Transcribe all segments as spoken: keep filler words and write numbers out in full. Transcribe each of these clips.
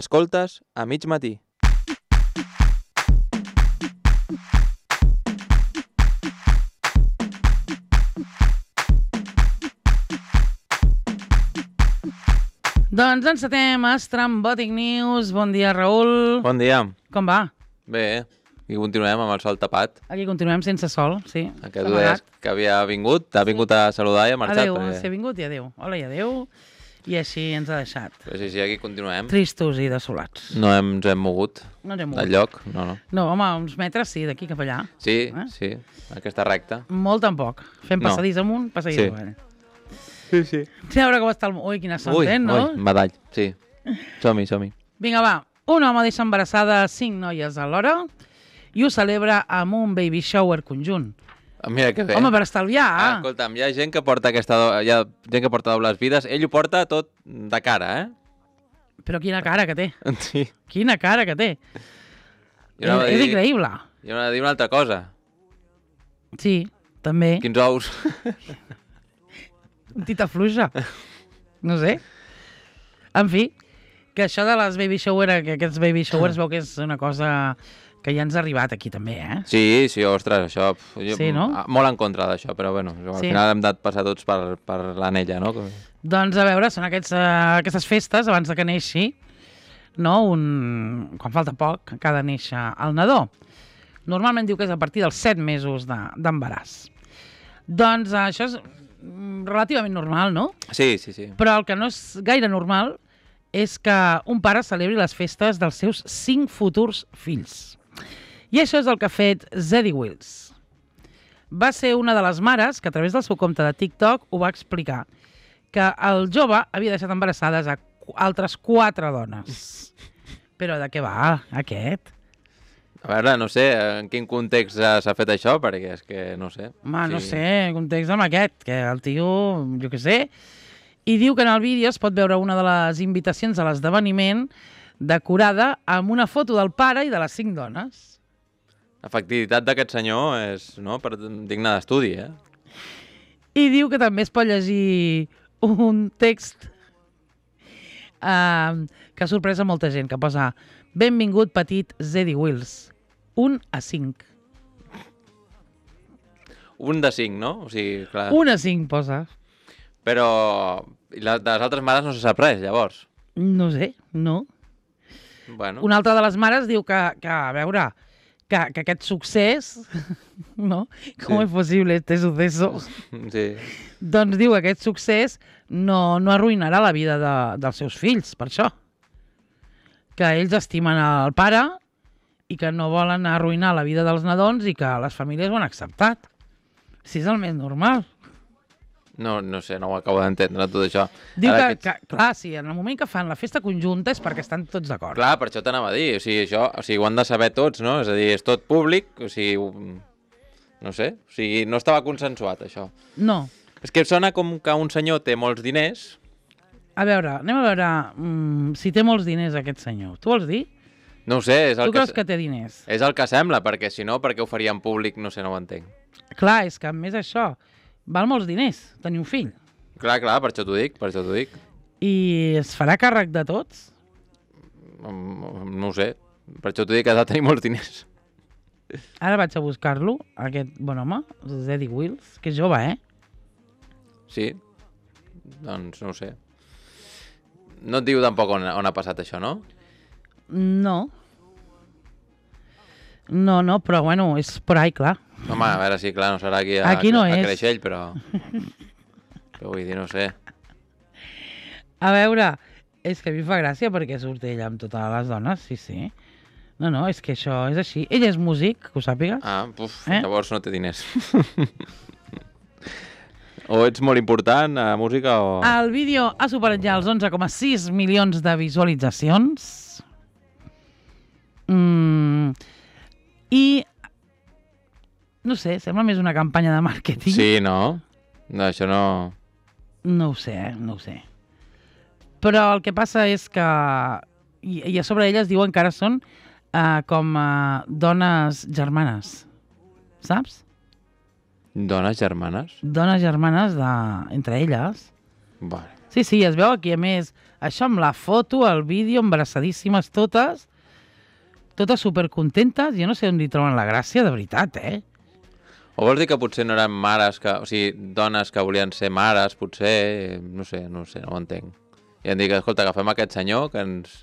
Escoltes a mig matí. Doncs encetem Estrambòtic News. Bon dia, Raül. Bon dia. Com va? Bé, i continuem amb el sol tapat. Aquí continuem sense sol, sí. Aquest dies que havia vingut, ha vingut a saludar i ha marxat. Adéu, perquè... s'ha vingut i adéu. Hola i adéu. I així ens ha deixat. Però sí, sí, aquí continuem. Tristos i desolats. No hem, ens hem mogut No ens hem del mogut. lloc, no, no. No, home, uns metres sí, d'aquí cap allà. Sí, Eh? sí, aquesta recta. Molt tampoc. Fem No. passadís amunt, passadís Sí. avall. Sí, sí. Sí, a veure com està el... Ui, quina son Ui, ten, no? ui, badall, sí. Som-hi, som-hi. Vinga, va. Un home deixa embarassada cinc noies alhora i ho celebra amb un baby shower conjunt. Ah, mira que bé. Home, per estalviar. Ah, escolta'm, hi ha gent que porta aquesta... do- Hi ha gent que porta dobles vides. Ell ho porta tot de cara, eh? Però quina cara que té. Sí. Quina cara que té. Jo anava a és dir- increïble. Jo anava a dir una altra cosa. Sí, també. Quins ous. Un tita fluixa. No sé. En fi, que això de les baby shower, que aquests baby showers veu que és una cosa que ja ens ha arribat aquí també, eh? Sí, sí, ostres, això... pf, Jo, Sí, no? a- Molt en contra d'això, però bueno, al Sí. final hem de passar tots per, per l'anella, no? Que- Doncs a veure, són aquests, uh, aquestes festes abans de que neixi, no? Un... quan falta poc, que ha de néixer el nadó. Normalment diu que és a partir dels set mesos de- d'embaràs. Doncs uh, això és mm, relativament normal, no? Sí, sí, sí. Però el que no és gaire normal és que un pare celebri les festes dels seus cinc futurs fills. I això és el que ha fet Zadie Wills. Va ser una de les mares que a través del seu compte de TikTok ho va explicar, que el jove havia deixat embarassades a qu- altres quatre dones. Però de què va aquest? A veure, no sé en quin context s'ha s'ha fet això, perquè és que no sé. Home, no Sí. sé, context amb aquest, que el tio, jo què sé, i diu que en el vídeo es pot veure una de les invitacions a l'esdeveniment decorada amb una foto del pare i de les cinc dones. L'efectivitat d'aquest senyor és no, per, digna d'estudi, eh? I diu que també es pot llegir un text uh, que ha sorprès a molta gent, que posa benvingut petit Zadie Wills, un a cinc. Un de cinc, no? O sigui, clar... Un a cinc posa. Però i la, de les altres mares no se sap res, llavors. No sé, no. Bueno, Una altra de les mares diu que, que a veure, que, que aquest succés, no? Com Sí. és possible este suceso? sí. Doncs diu que aquest succés no, no arruïnarà la vida de, dels seus fills, per això. Que ells estimen el pare i que no volen arruïnar la vida dels nadons i que les famílies ho han acceptat. Si és el més normal. No, no sé, no ho acabo d'entendre, tot això. Diu Ara que, aquests- que, clar, sí, en el moment que fan la festa conjunta és perquè estan tots d'acord. Clar, per això t'anava a dir, o sigui, això, o sigui, ho han de saber tots, no? És a dir, és tot públic, o sigui, ho- no sé, o sigui, no estava consensuat, això. No. És que sona com que un senyor té molts diners. A veure, anem a veure mm, si té molts diners aquest senyor. Tu vols dir? No ho sé, és el Tu que... creus que té diners? És el que sembla, perquè si no, per què ho faria en públic? No sé, no ho entenc. Clar, és que a més això, val molts diners tenir un fill. Clar, clar, per això t'ho dic, per això t'ho dic. I es farà càrrec de tots? Mm, No ho sé, per això t'ho dic que ha de tenir molts diners. Ara vaig a buscar-lo, aquest bon home, Zadie Wills, que és jove, eh? Sí, doncs no ho sé. No et diu tampoc on, on ha passat això, no? No. No, no, però bueno, és por ahí, clar. Home, a veure, sí, clar, no serà aquí a, Aquí no a, a és. Creixell, però... Però vull dir, no sé. A veure, és que a mi em fa gràcia perquè surt ella amb totes les dones, sí, sí. No, no, és que això és així. Ell és músic, que ho sàpigues. Ah, puf, Eh? llavors no té diners. O ets molt important a música o... El vídeo ha superat ja els onze coma sis milions de visualitzacions. Mm, I, no sé, sembla més una campanya de màrqueting. Sí, no? No, això no... No ho sé, eh? No ho sé. Però el que passa és que... I, i a sobre elles diuen que ara són uh, com uh, dones germanes. Saps? Dones germanes? Dones germanes de... entre elles. Vale. Sí, sí, es veu aquí, a més, això amb la foto, el vídeo, embaraçadíssimes totes, totes supercontentes, jo no sé on hi troben la gràcia, de veritat, eh? O vols dir que potser no eren mares, que, o sigui, dones que volien ser mares, potser, no sé, no sé, no ho entenc. I em dic, escolta, agafem aquest senyor que ens...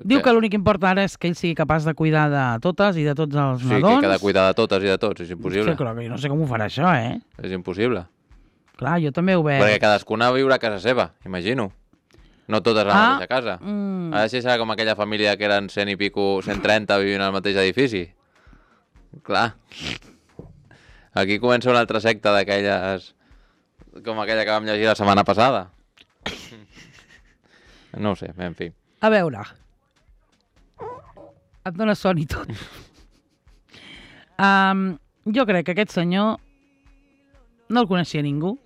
Diu que l'únic que importa ara és que ell sigui capaç de cuidar de totes i de tots els Sí, nadons. que ha de cuidar de totes i de tots, és impossible. Sí, clar, que jo no sé com ho farà això, eh? És impossible. Clar, jo també ho veig. Perquè cadascuna viurà a casa seva, imagino. No totes a la Ah, mateixa casa. mm. Ha de ser serà com aquella família que eren cent i pico, cent trenta vivint al mateix edifici. Clar. Aquí comença una altra secta d'aquelles... com aquella que vam llegir la setmana passada. No ho sé, en fi. A veure, et dóna son i tot. um, jo crec que aquest senyor no el coneixia ningú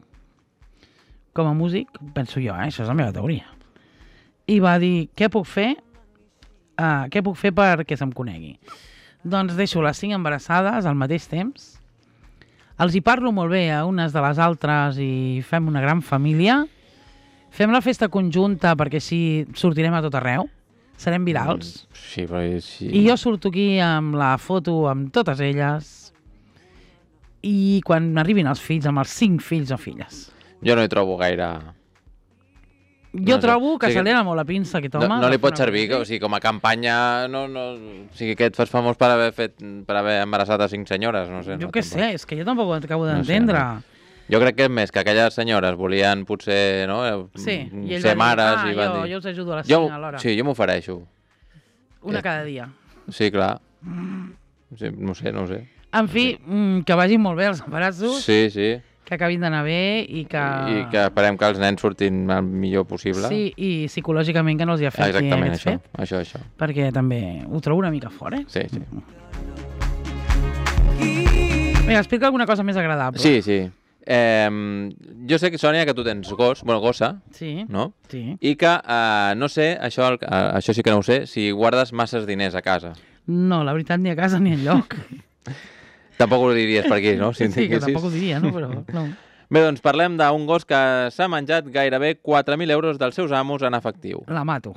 com a músic, penso jo, eh? Això és la meva teoria. I va dir, què puc fer? Uh, què puc fer perquè se'm conegui? Doncs deixo les cinc embarassades al mateix temps, els hi parlo molt bé a unes de les altres i fem una gran família. Fem la festa conjunta perquè així sortirem a tot arreu. Serem virals. Mm, sí, però... Sí. I jo surto aquí amb la foto amb totes elles. I quan arribin els fills, amb els cinc fills o filles. Jo no hi trobo gaire... Jo No sé. trobo que O sigui, se li ha molt la pinça aquest No, home. no li de pot fer una servir, cosa o sigui, com a campanya... No, no, o sigui, que et fas famós per haver fet per haver embarassat a cinc senyores, no sé. així. Jo no, què tampoc. sé, és que jo tampoc ho acabo No sé, d'entendre. no. Jo crec que és més que aquelles senyores volien potser no, Sí, mm, i ell ser va dir, mares ah, i van jo, dir... jo us ajudo a les Jo, cinc alhora. sí, jo m'ofereixo. Una eh. cada dia. Sí, clar. Sí, no sé, no sé. En fi, mm, que vagin molt bé els embarassos, Sí, sí. que acabin d'anar bé i que... I que esperem que els nens surtin el millor possible. Sí, i psicològicament que no els hi afecti Exactament, aquest això, fet, això, això. perquè també ho trobo una mica fort, eh? Sí, sí. Vinga, explica alguna cosa més agradable. Sí, sí. Eh, jo sé, que Sònia, que tu tens gos, bueno, gossa, Sí, no? sí. I que, eh, no sé, això, el- eh, això sí que no ho sé, si guardes masses diners a casa. No, la veritat, ni a casa ni enlloc. Tampoc ho diries per aquí, no? Si en Sí, que tinguessis. tampoc ho diria, no? Però no. Bé, doncs parlem d'un gos que s'ha menjat gairebé quatre mil euros dels seus amos en efectiu. La mato.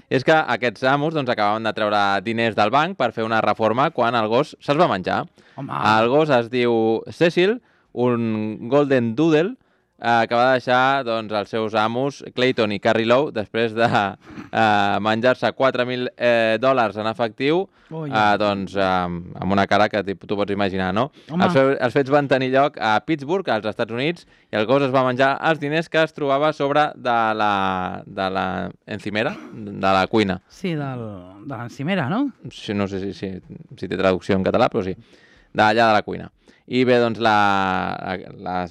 És que aquests amos doncs, acabaven de treure diners del banc per fer una reforma quan el gos se'ls va menjar. Home, El gos es diu Cecil, un Golden Doodle, eh, que va deixar doncs, els seus amos, Clayton i Carrie Lowe, després de eh, menjar-se quatre mil eh, dòlars en efectiu, Ui. eh, doncs, eh, amb una cara que tu pots imaginar, no? Home. Els, fe- els fets van tenir lloc a Pittsburgh, als Estats Units, i el gos es va menjar els diners que es trobava a sobre de la, de la encimera, de la cuina. sí, del, de l'encimera, no? Sí, no sé si, si, si té traducció en català, però sí, d'allà de la cuina. I bé, doncs, la, la,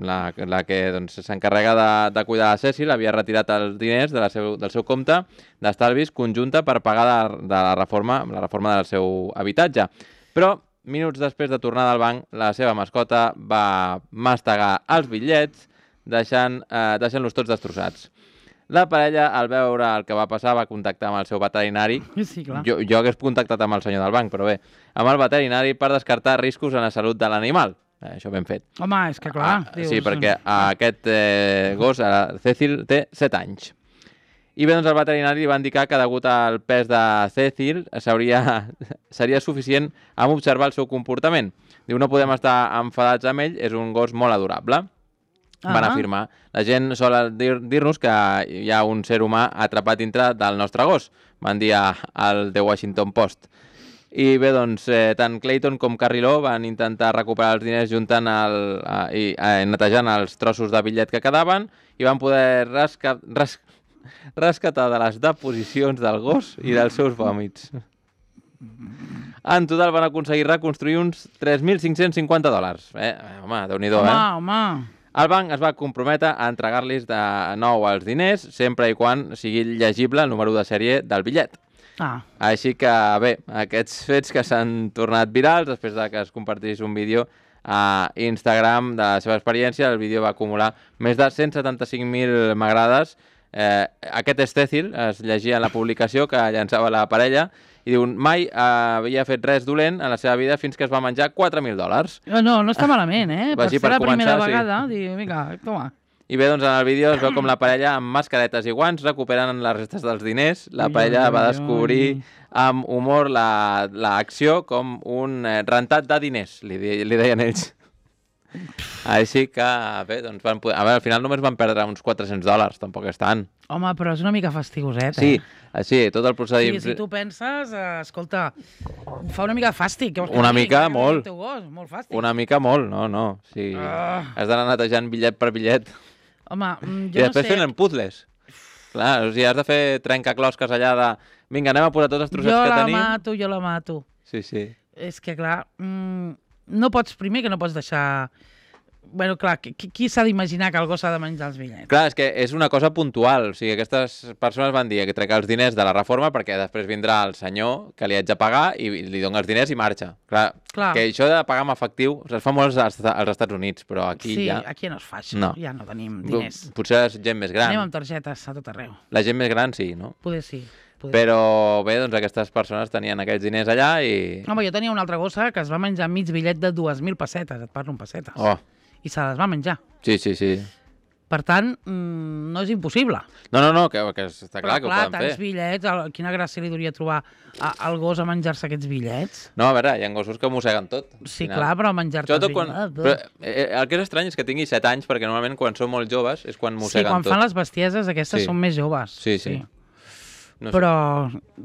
la, la que doncs, s'encarrega de, de cuidar la Cecil havia retirat els diners de la seu, del seu compte d'estalvis conjunta per pagar de, de la, reforma, la reforma del seu habitatge. Però, minuts després de tornar del banc, la seva mascota va mastegar els bitllets, deixant, eh, deixant-los tots destrossats. La parella, al veure el que va passar, va contactar amb el seu veterinari. Sí, clar. Jo, jo hagués contactat amb el senyor del banc, però bé, amb el veterinari per descartar riscos en la salut de l'animal. Eh, això ben fet. Home, és que clar. Ah, dius, sí, perquè aquest eh, gos, eh, Cecil, té set anys. I bé, doncs el veterinari li va indicar que degut al pes de Cecil seria, seria suficient amb observar el seu comportament. Diu, no podem estar enfadats amb ell, és un gos molt adorable. Van Ah. afirmar. La gent sol dir- dir-nos que hi ha un ser humà atrapat dintre del nostre gos, van dir a- al The Washington Post. I bé, doncs, eh, tant Clayton com Carrie Lowe van intentar recuperar els diners juntant el, eh, i eh, netejant els trossos de bitllet que quedaven i van poder resca res rescatar de les deposicions del gos i dels seus vòmits. En total van aconseguir reconstruir uns tres mil cinc-cents cinquanta dòlars. Eh, home, déu-n'hi-do, Home, eh? home. El banc es va comprometre a entregar-los de nou els diners sempre i quan sigui llegible el número de sèrie del bitllet. Ah, Així que, bé, aquests fets que s'han tornat virals després de que es compartís un vídeo a Instagram de la seva experiència, el vídeo va acumular més de cent setanta-cinc mil m'agrades Eh, aquest Estècil es llegia en la publicació que llançava la parella i diu, mai eh, havia fet res dolent en la seva vida fins que es va menjar quatre mil dòlars. No, no està malament, eh? Per Vagi ser per la primera començar, sí. vegada, diu, vinga, toma. I bé, doncs en el vídeo es veu com la parella amb mascaretes i guants recuperen les restes dels diners. La Ui, parella ui, va ui, descobrir ui. amb humor la- l'acció com un eh, rentat de diners, li, di- li deien ells. Així que, bé, doncs van poder... A veure, al final només van perdre uns quatre-cents dòlars, tampoc és tant. Home, però és una mica fastigoset, Sí, eh? així, tot el Sí, procediment... si tu penses, eh, escolta, fa una mica de fàstic. Què vols que Una et digui? mica, Que molt. el teu gos, molt fàstic. Una mica molt, no, no. Sí. Ah. Has d'anar netejant bitllet per bitllet. Home, mm, I jo després no sé... fent puzzles. Clar, o sigui, has de fer trencaclosques allà de... Vinga, anem a posar tots els trossets Jo que la tenim. mato, jo la mato. Sí, sí. És que, clar, mm, no pots, primer que no pots deixar... Bueno, clar, qui, qui s'ha d'imaginar que el gos s'ha de menjar els bitllets? Clar, és que és una cosa puntual. O sigui, aquestes persones van dir que trec els diners de la reforma perquè després vindrà el senyor que li haig de pagar i li dona els diners i marxa. Clar, Clar. que això de pagar amb efectiu o sigui, es fa molt als, als Estats Units, però aquí sí, ja... aquí no es fa això, No. ja no tenim diners. Potser és gent més gran. Anem amb targetes a tot arreu. La gent més gran sí, no? Poder sí. Poder Però bé, doncs aquestes persones tenien aquests diners allà i... sí. Home, jo tenia una altra gossa que es va menjar mig bitllet de dues mil pessetes, et parlo en pessetes. Oh, I se les va menjar. sí, sí, sí. Per tant, mm, no és impossible. No, no, no, que, que està clar Però, que clar, ho poden tants fer. bitllets, el, quina gràcia li duria trobar a, al gos a menjar-se aquests bitllets? No, a veure, hi ha gossos que mosseguen tot. al Sí, final. clar, però menjar-te Sobretot els quan... bitllets... Però, eh, el que és estrany és que tingui set anys, perquè normalment quan són molt joves és quan Sí, mosseguen quan tot. fan les bestieses aquestes Sí. són més joves. Sí, sí. No sé. Però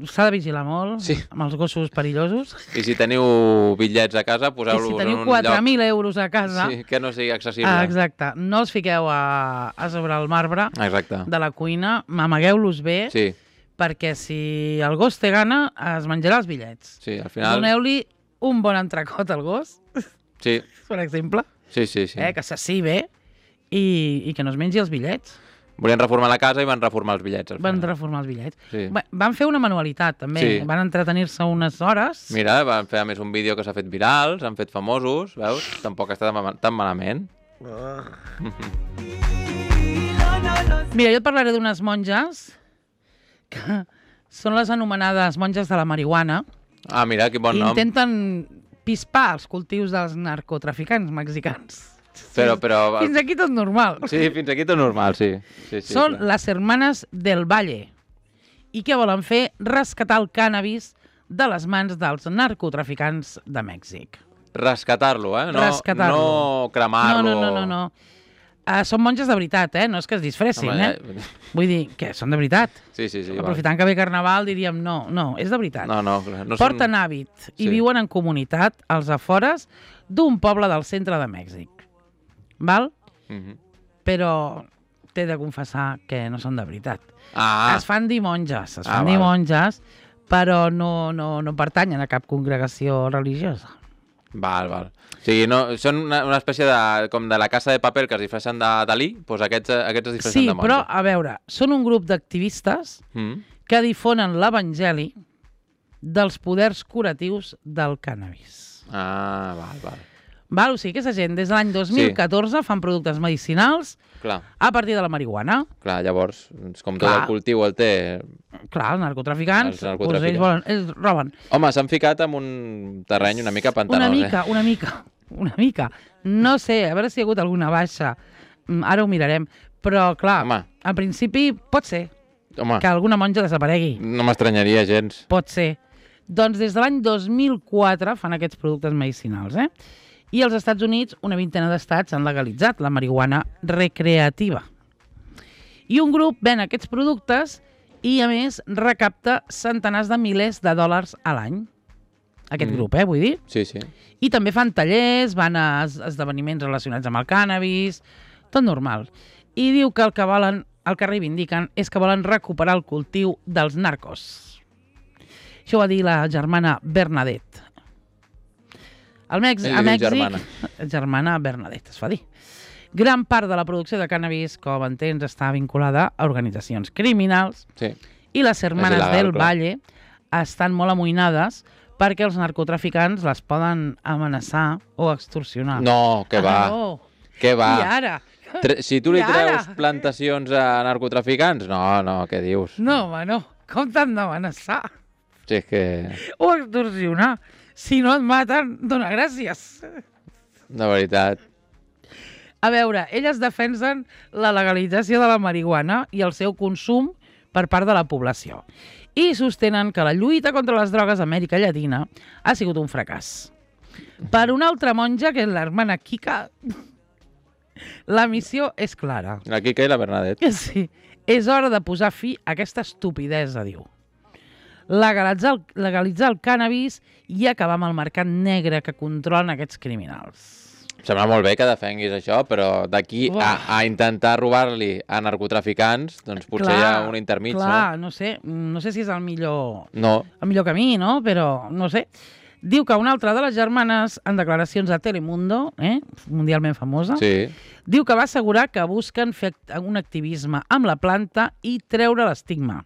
s'ha de vigilar molt Sí. amb els gossos perillosos. I si teniu bitllets a casa, I poseu-los si en teniu un quatre lloc mil euros a casa, sí, que no sigui accessible. ah, exacte, no els fiqueu a, a sobre el marbre Exacte. de la cuina, amagueu-los bé, Sí, perquè si el gos té gana, es menjarà els bitllets. sí, al final... Doneu-li un bon entrecot al gos, Sí, per exemple, sí, sí. sí. eh, que s'assi bé i, i que no es mengi els bitllets. Volien reformar la casa i van reformar els bitllets. al Van final. reformar els bitllets. Sí. Va- Van fer una manualitat, també. Sí. Van entretenir-se unes hores. Mira, van fer a més un vídeo que s'ha fet viral, s'han fet famosos, veus? Tampoc està tan ma- tan malament. Mira, jo et parlaré d'unes monges que són les anomenades monges de la marihuana Ah, mira, quin bon i nom. intenten pispar els cultius dels narcotraficants mexicans. Però, però... Fins aquí tot normal. Sí, fins aquí tot normal, sí. sí, sí Són clar. les hermanes del Valle. I què volen fer? Rescatar el cànnabis de les mans dels narcotraficants de Mèxic. Rescatar-lo, eh? No, Rescatar-lo. no cremar-lo. No, no, no, no. no. Uh, són monges de veritat, eh? No és que es disfressin, Home, eh? ja- Vull dir, que són de veritat. Sí, sí, sí. Aprofitant que ve Carnaval diríem no, no, és de veritat. No, no, clar, no Porten són... hàbit i Sí. viuen en comunitat als afores d'un poble del centre de Mèxic. Val? Mhm. Però t'he de confessar que no són de veritat. Ah, Es fan dir monges, es Ah, fan dir val. monges, però no, no, no pertanyen a cap congregació religiosa. val, val. O sigui, no, són una, una espècie de, com de la casa de paper que es disfressen de Dalí, doncs aquests, aquests es disfressen Sí, de monja. però, a veure, són un grup d'activistes Mm. que difonen l'evangeli dels poders curatius del cànnabis. Ah, val, val. Val? O sigui, aquesta gent des de l'any dos mil catorze fan productes medicinals Clar, a partir de la marihuana. clar, llavors, és com tot Clar. el cultiu el té... Clar, els narcotraficants, Els narcotraficants. Doncs ells, volen, ells roben. Home, s'han ficat en un terreny una mica pantanós, Una mica, eh? una mica, una mica. No sé, a veure si hi ha hagut alguna baixa. Mm, Ara ho mirarem. Però, clar, Home. al principi pot ser Home, que alguna monja desaparegui. no m'estranyaria gens. Pot ser. Doncs des de l'any dos mil quatre fan aquests productes medicinals, eh? I als Estats Units una vintena d'estats han legalitzat la marihuana recreativa. I un grup ven aquests productes i, a més, recapta centenars de milers de dòlars a l'any. Aquest Mm. grup, eh, vull dir. Sí, sí. I també fan tallers, van a es- esdeveniments relacionats amb el cànnabis, tot normal. I diu que el que volen, el que reivindiquen, és que volen recuperar el cultiu dels narcos. Això ho va dir la germana Bernadette. Al Mèxic, Ell a li diu Mèxic, germana. germana Bernadette, es fa dir. Gran part de la producció de cànnabis, com entens, està vinculada a organitzacions criminals Sí. i les hermanes il·legal, del clar. Valle estan molt amoïnades perquè els narcotraficants les poden amenaçar o extorsionar. No, que va, Ah, no. que va. I ara, Tre si tu li I ara? treus plantacions a narcotraficants, no, no, què dius? No, home, no. Com t'han d'amenaçar? Si és que... O extorsionar. Si no et maten, dona gràcies. De veritat. A veure, elles defensen la legalització de la marihuana i el seu consum per part de la població. I sostenen que la lluita contra les drogues a Amèrica Llatina ha sigut un fracàs. Per una altra monja, que és l'hermana Kika, la missió és clara. La Kika i la Bernadette. Sí, és hora de posar fi a aquesta estupidesa, diu. Legalitzar el, legalitzar el cànnabis i acabar amb el mercat negre que controlen aquests criminals. Sembla molt bé que defenguis això, però d'aquí a, a intentar robar-li a narcotraficants, doncs potser clar, hi ha un intermig, clar, no? no sé, no sé si és el millor, No. el millor camí, no? Però no sé. Diu que una altra de les germanes, en declaracions a Telemundo, eh, mundialment famosa, Sí. diu que va assegurar que busquen fer un activisme amb la planta i treure l'estigma.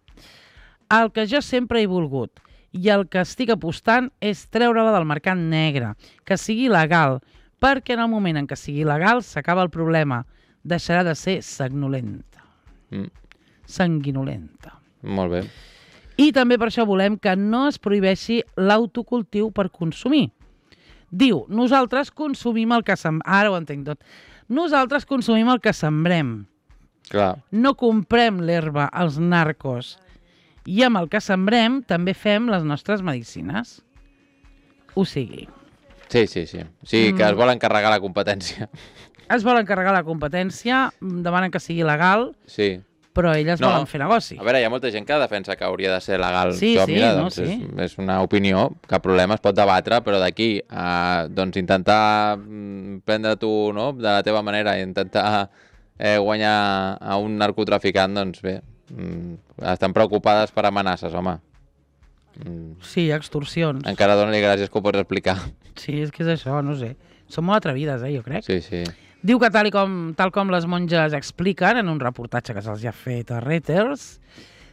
El que jo sempre he volgut i el que estic apostant és treure-la del mercat negre, que sigui legal, perquè en el moment en què sigui legal s'acaba el problema. Deixarà de ser sanguinolenta. Mm. Sanguinolenta. Molt bé. I també per això volem que no es prohibeixi l'autocultiu per consumir. Diu, nosaltres consumim el que sembrem. Ara ho entenc tot. Nosaltres consumim el que sembrem. Clar. No comprem l'herba als narcos. I amb el que sembrem també fem les nostres medicines. Ho sigui. Sí, sí, sí. Sí, que Mm. es vol encarregar la competència. Es volen carregar la competència, demanen que sigui legal, Sí. però elles No. volen fer negoci. A veure, hi ha molta gent que defensa que hauria de ser legal. Sí, això, sí, mira, no, doncs sí. És, és una opinió, cap problema, es pot debatre, però d'aquí a doncs, intentar mm, prendre tu, no?, de la teva manera i intentar eh, guanyar a un narcotraficant, doncs bé, mm, estan preocupades per amenaces, home. Mm, Sí, extorsions. encara dona-li gràcies que ho pots explicar. Sí, és que és això, no sé. Són molt atrevides, eh, jo crec. Sí, sí. Diu que tal i com, tal com les monges expliquen en un reportatge que se'ls ha fet a Reuters,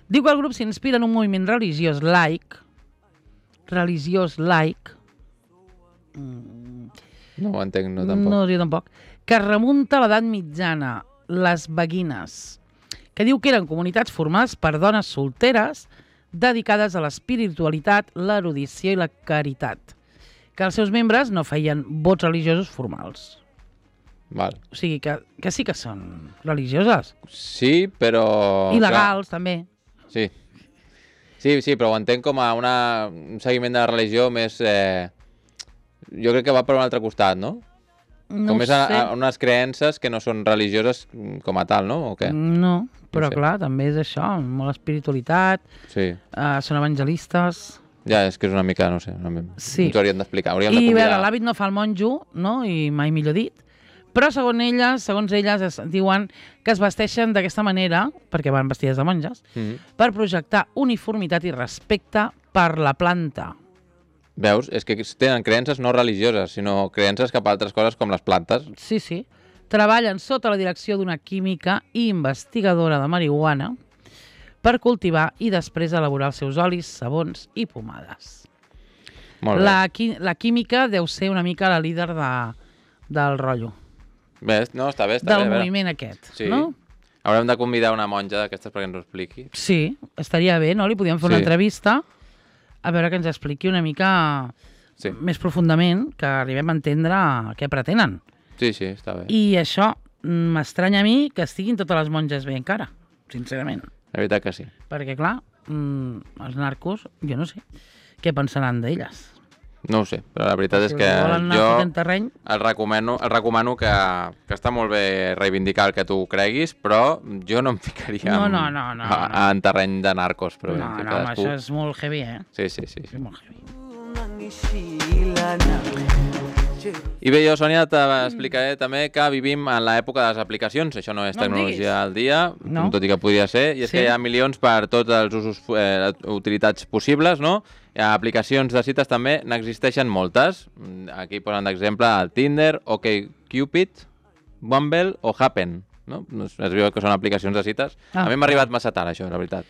diu que el grup s'inspira en un moviment religiós laic, religiós laic, mm, No ho entenc, no tampoc. no, jo tampoc, que remunta a l'edat mitjana, les beguines, que diu que eren comunitats formades per dones solteres dedicades a l'espiritualitat, l'erudició i la caritat, que els seus membres no feien vots religiosos formals. Val. O sigui, que, que sí que són religioses. Sí, però... I clar, legals, també. Sí. Sí, sí, però ho entenc com a una, un seguiment de la religió més... Eh, jo crec que va per un altre costat, no? No com ho més a, sé. a unes creences que no són religioses com a tal, no? O què? No, però No sé. clar, també és això, molt espiritualitat, Sí. eh, són evangelistes... Ja, és que és una mica, no sé, una mica... Sí. ens ho hauríem d'explicar, hauríem I de a convidar... veure, l'hàbit no fa el monjo, no? I mai millor dit. Però segons elles, segons elles es diuen que es vesteixen d'aquesta manera, perquè van vestides de monges, Mm. per projectar uniformitat i respecte per la planta. Veus? És que tenen creences no religioses, sinó creences cap a altres coses com les plantes. Sí, sí. Treballen sota la direcció d'una química i investigadora de marihuana per cultivar i després elaborar els seus olis, sabons i pomades. Molt bé. La, qui, la química deu ser una mica la líder de, del rotllo, Bé, no, està bé, està del bé. a veure. moviment aquest, Sí. no? Haurem de convidar una monja d'aquestes perquè ens ho expliqui. Sí, estaria bé, no? Li podíem fer una Sí. entrevista a veure que ens expliqui una mica Sí. més profundament, que arribem a entendre què pretenen. Sí, sí, està bé. I això mm, m'estranya a mi que estiguin totes les monges bé encara, sincerament. La veritat que sí. Perquè, clar, mm, els narcos, jo no sé què pensaran d'elles. No ho sé, però la veritat és Si que volen anar jo fotent terreny, el recomano, el recomano que, que està molt bé reivindicar el que tu creguis, però jo no em ficaria No, en, no, no, no, a, no. en terreny de narcos. Però no, bé, no, cadascú... això és molt heavy, eh? Sí, sí, sí. És molt heavy. I bé, jo, Sònia, t'explicaré també que vivim en l'època de les aplicacions. Això no és No em tecnologia al dia, No. tot i que podria ser. I és Sí. que hi ha milions per tots els usos, eh, utilitats possibles, no? Hi ha aplicacions de cites també, n'existeixen moltes. Aquí posen d'exemple el Tinder, OkCupid, Bumble o Happen. No? Es veu que són aplicacions de cites. Ah, a mi m'ha arribat massa tard, això, la veritat.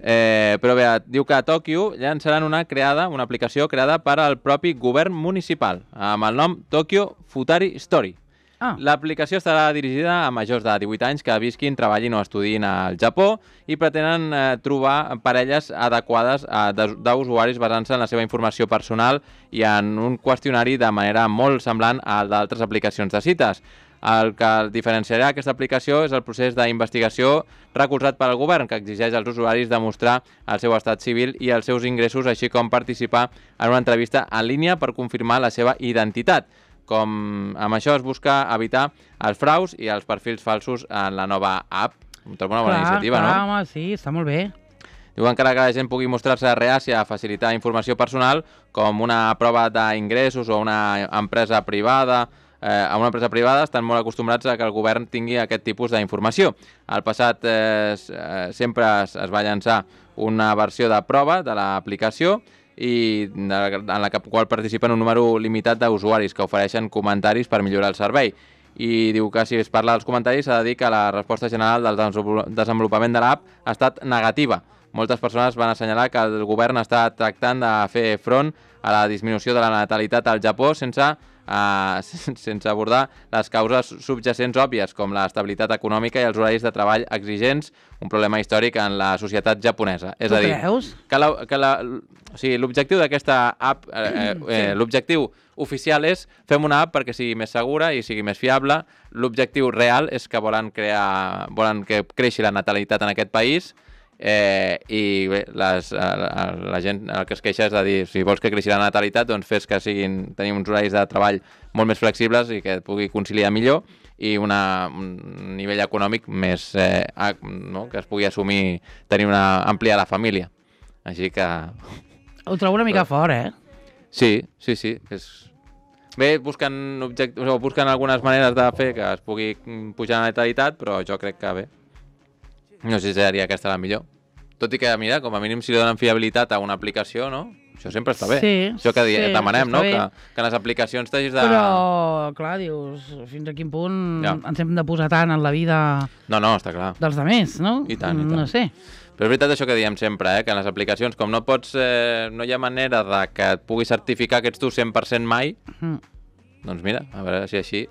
Eh, però bé, diu que a Tòquio llançaran una creada, una aplicació creada per al propi govern municipal, amb el nom Tokyo Futari Story, Ah. L'aplicació estarà dirigida a majors de divuit anys que visquin, treballin o estudin al Japó i pretenen eh, trobar parelles adequades eh, d'usuaris basant-se en la seva informació personal i en un qüestionari de manera molt semblant al d'altres aplicacions de cites. El que diferenciarà aquesta aplicació és el procés d'investigació recolzat pel govern, que exigeix als usuaris demostrar el seu estat civil i els seus ingressos, així com participar en una entrevista en línia per confirmar la seva identitat. Com amb això es busca evitar els fraus i els perfils falsos en la nova app. Em trobo una bona clar, iniciativa, clar, no? Home, sí, està molt bé. Diu encara que la gent pugui mostrar-se reàcia a facilitar informació personal, com una prova d'ingressos o una empresa privada, eh, a una empresa privada estan molt acostumbrats a que el govern tingui aquest tipus d'informació. Al passat eh, sempre es, es va llançar una versió de prova de l'aplicació i en la qual participen un número limitat d'usuaris que ofereixen comentaris per millorar el servei. I diu que si es parla dels comentaris s'ha de dir que la resposta general del desenvolupament de l'app ha estat negativa. Moltes persones van assenyalar que el govern està tractant de fer front a la disminució de la natalitat al Japó sense, uh, sense abordar les causes subjacents òbvies, com l'estabilitat econòmica i els horaris de treball exigents, un problema històric en la societat japonesa. És Tu a dir, creus? que la, que la, o sigui, l'objectiu d'aquesta app, eh, eh, l'objectiu oficial és fem una app perquè sigui més segura i sigui més fiable. L'objectiu real és que volen crear, volen que creixi la natalitat en aquest país. Eh, i bé, les, la, la gent el que es queixa és de dir, si vols que creixi la natalitat, doncs fes que siguin, tenir uns horaris de treball molt més flexibles i que et pugui conciliar millor i una, un nivell econòmic més, eh, no? Que es pugui assumir tenir una àmplia la família. Així que... Ho trobo una mica fort, eh? Sí, sí, sí. És... Bé, busquen, object... o busquen algunes maneres de fer que es pugui pujar la natalitat, però jo crec que bé. No sé si seria aquesta la millor. Tot i que, mira, com a mínim si li donen fiabilitat a una aplicació, no? Això sempre està bé. Sí, Això que sí, demanem, no? bé. Que, que en les aplicacions t'hagis de... Però, clar, dius, fins a quin punt Ja. ens hem de posar tant en la vida No, no, està clar. dels altres, no? I tant, i tant. No sé. Però és veritat això que diem sempre, eh? Que en les aplicacions, com no pots... Eh, no hi ha manera de que et puguis certificar que ets tu cent per cent mai, Mm. doncs mira, a veure si així...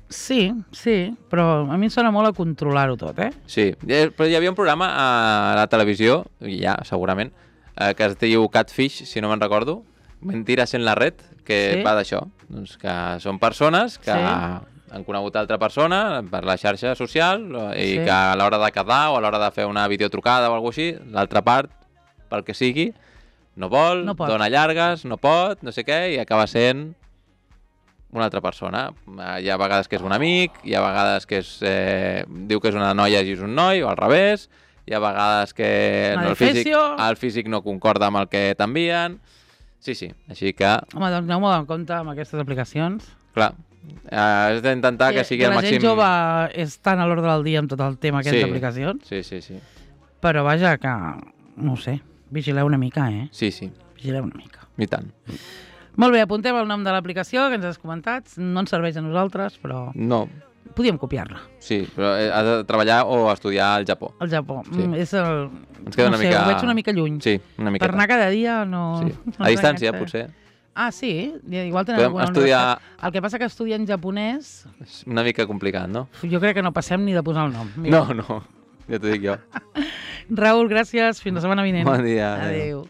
Sí, sí, però a mi em sona molt a controlar-ho tot, eh? Sí, Eh, però hi havia un programa a la televisió, ja, segurament, eh, que es diu Catfish, si no me'n recordo, Mentiras en la red, que Sí. va d'això. Doncs que són persones que Sí. han conegut altra persona per la xarxa social i Sí. que a l'hora de quedar o a l'hora de fer una videotrucada o alguna cosa així, l'altra part, pel que sigui, no vol, No pot. dona llargues, no pot, no sé què, i acaba sent una altra persona. Hi ha vegades que és un amic, hi ha vegades que és, eh, diu que és una noia i és un noi, o al revés, hi ha vegades que Una no, el, físic, defecio. el físic no concorda amb el que t'envien. Sí, sí, així que, Home, doncs aneu molt en compte amb aquestes aplicacions. clar, eh, has d'intentar que sigui el la màxim... gent jove és tan a l'ordre del dia amb tot el tema aquestes Sí. aplicacions, Sí, sí, sí. però vaja que, no ho sé, vigileu una mica, eh? Sí, sí, Vigileu una mica. i tant. Molt bé, apuntem el nom de l'aplicació que ens has comentat. No ens serveix a nosaltres, però No, podíem copiar-la. sí, però eh, has de treballar o estudiar al Japó. Al Japó. Sí. Mm, és el... Ens queda no una sé, mica... ho veig una mica lluny. Sí, una miqueta. Per anar cada dia no... Sí. no A distància, ens potser. Ah, sí? Igual tenen Podem alguna estudiar- universitat. El que passa que estudien japonès, És una mica complicat, no? jo crec que no passem ni de posar el nom. Mira. No, no, ja t'ho dic jo. Raül, gràcies. Fins la setmana vinent. Bon dia. Adéu.